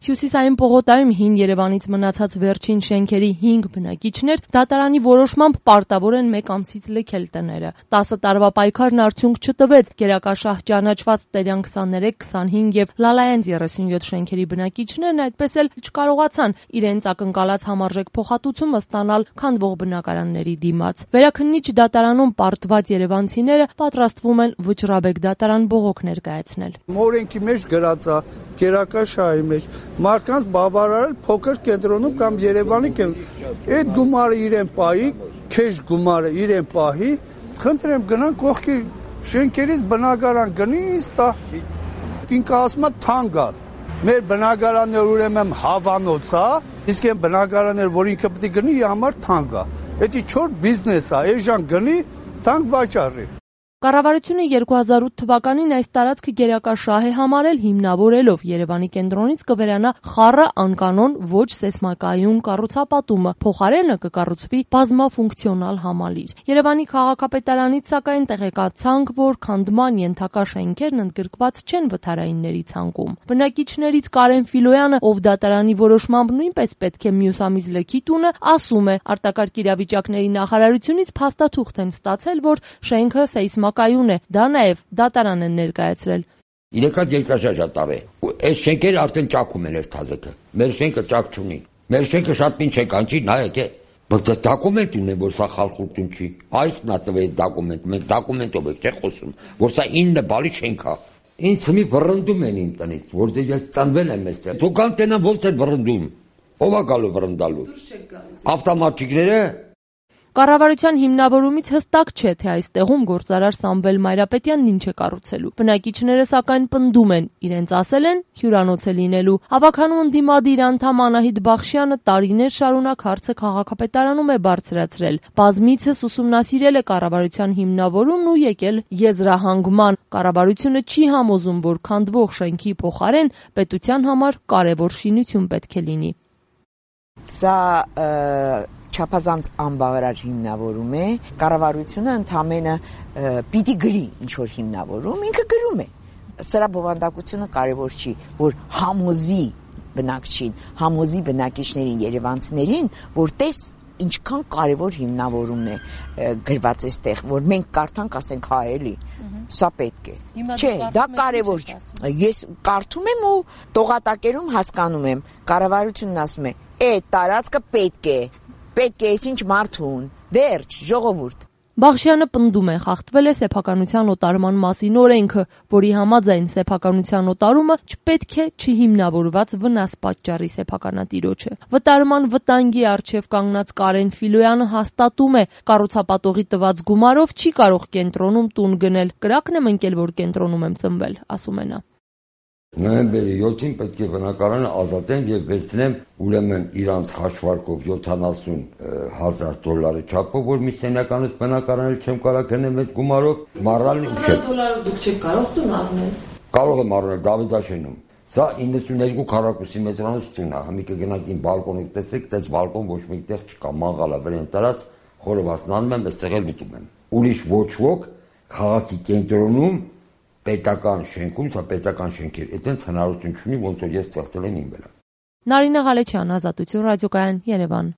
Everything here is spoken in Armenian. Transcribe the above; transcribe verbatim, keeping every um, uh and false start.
Հյուսիսային պողոտայում հին Երևանից մնացած վերջին շենքերի հինգ բնակիչներ դատարանի որոշմամբ պարտավոր են մեկ ամսից լքել տները։ տասը տարվա պայքարն արդյունք չտվեց։ Գերակաշահ ճանաչված Տերյան քսաներեք, քսանհինգ եւ Լալայանց երեսունյոթ շենքերի բնակիչներն այդպես էլ չկարողացան իրենց ակնկալած համարժեք փոխհատուցումը ստանալ քանդվող բնակարանների դիմաց։ Վերաքննիչ դատարանում պարտված երևանցիները պատրաստվում են Վճռաբեկ դատարան բողոք ներկայացնել։ Օրենքի մեջ գրած է, գերակաշահի մեջ մարդկանց բավարարել փոքր կենտրոնում կամ Երևանի կենտրոնում։ Այդ գումարը իրեն պահի, քեշ գումարը իրեն պահի, խնդրեմ գնան կողքի շենքերից բնակարան գնի, ինձ տա։ Ինքը ասում է թանկ է։ Մեր բնակարաններ ուրեմն հավանոց է, իսկ այն բնակարաններ, որ ինքը պետք է գնի, իր համար թանկ է։ Դա չոր բիզնես է, այժմ գնի, թանկ վաճառի։ Կառավարությունը երկու հազար ութ թվականին այս տարածքը գերակաշահ է համարել, հիմնավորելով Երևանի կենտրոնից կվերանա խառը անկանոն ոչ սեյսմակայուն կառուցապատումը, փոխարենը կկառուցվի բազմաֆունկցիոնալ համալիր։ Երևանի քաղաքապետարանից սակայն տեղեկացանք, որ քանդման ենթակա շենքերն ընդգրկված չեն վթարայինների ցանկում։ Բնակիչներից Կարեն Ֆիլոյանը, ով դատարանի որոշմամբ նույնպես պետք է մյուս ամիս լքի տունը, ասում է, արտակարգ իրավիճակների նախարարությունից փաստաթուղթ են ստացել, որ շենքը սեյսմակ կայուն է, դա նաև դատարան են ներկայացրել։ Իրեքած երկրաշարժատար է։ Այս շենքերը արդեն ճակում են այս թազիկը։ Մեր շենքը ճակ չունի։ Մեր շենքը շատ ինչ է կանչի, նայեք է։ Բայց դոկումենտ ունեն, որ սա խալխուլտուն չի։ Այս նա տվել դոկումենտ, մենք դոկումենտով ենք չէ խոսում, որ սա ինը բալի շենք է։ Ինձ մի վռնդում են իմ տնից, որտեղ ես ծնվել եմ այստեղ։ Դուք անտենան ո՞նց են վռնդում։ Ո՞վ է գալու վռնդալու։ Ավտոմատիկները։ Կառավարության հիմնավորումից հստակ չէ, թե այստեղում գործարար Սամվել Մայրապետյանն ինչ է կառուցելու։ Բնակիչները սակայն պնդում են, իրենց ասել են հյուրանոց է լինելու։ Հավաքանու ընդդիմադիր անդամ Անահիտ Բախշյանը տարիներ շարունակ հարցը քաղաքապետարանում է բարձրացրել։ Բազմիցս ուսումնասիրել է կառավարության հիմնավորումն ու եկել եզրահանգման։ Կառավարությունը չի համոզում, որ քանդվող շենքի փոխարեն պետության համար կարևոր շինություն պետք է լինի։ Սա չափազանց անբավարար հիմնավորում է, կառավարությունը ընդամենը պիտի գրի ինչ-որ հիմնավորում, ինքը գրում է։ Սրա բովանդակությունը կարևոր չի, որ համոզի բնակչին, համոզի բնակիչներին, երևանցիներին, որ տես ինչքան կարևոր հիմնավորումն է գրված այստեղ, որ մենք կարդանք, ասենք հա էլի, սա պետք է։ Չէ, դա կարևոր չէ։ Ես կարդում եմ ու տողատակերում հասկանում եմ, կառավարությունն ասում է, այդ տարածքը պետք է Պետք է այսինչ մարդուն, վերջ, ժողովուրդ։ Բախշյանը պնդում է, խախտվել է սեփականության օտարման մասին օրենքը, որի համաձայն սեփականության օտարումը չպետք է չհիմնավորված վնաս պատճառի սեփականատիրոջը։ Վտարման վտանգի առջև կանգնած Կարեն Ֆիլոյանը հաստատում է, կառուցապատողի տված գումարով չի կարող կենտրոնում տուն գնել։ Կրակն եմ ընկել, որ կենտրոնում եմ ծնվել, ասում է նա։ Նոյեմբերի յոթին պետք է բնակարանը ազատեն եւ վերցնեմ ուրեմն իրանց հաշվարկով յոթանասուն հազար դոլարի չափով, որ մի սենյականից բնակարանել չեմ կարող գնեմ այդ գումարով, մառալն ու չէ։ Դոլարով դուք չեք կարող տուն առնել։ Կարող եմ առնել Դավիթաշենում։ Սա իննսուններկու քառակուսի մետրանոց տուն է, մի կգնաք իմ բալկոնը տեսեք, դες բալկոն ոչ մեկտեղ չկա, մանգալա վրան տարած, խորովացնանում եմ, այստեղ էլ գտում եմ։ Ուրիշ ոչ ոք քաղաքի կենտրոնում պետական շենքում, սա պետական շենքեր, այդտենց հնարավորություն չունի, ոնց որ ես ստեղծել եմ իմ վրա։ Նարինե Ղալեչյան, Ազատություն ռադիոկայան, Երևան։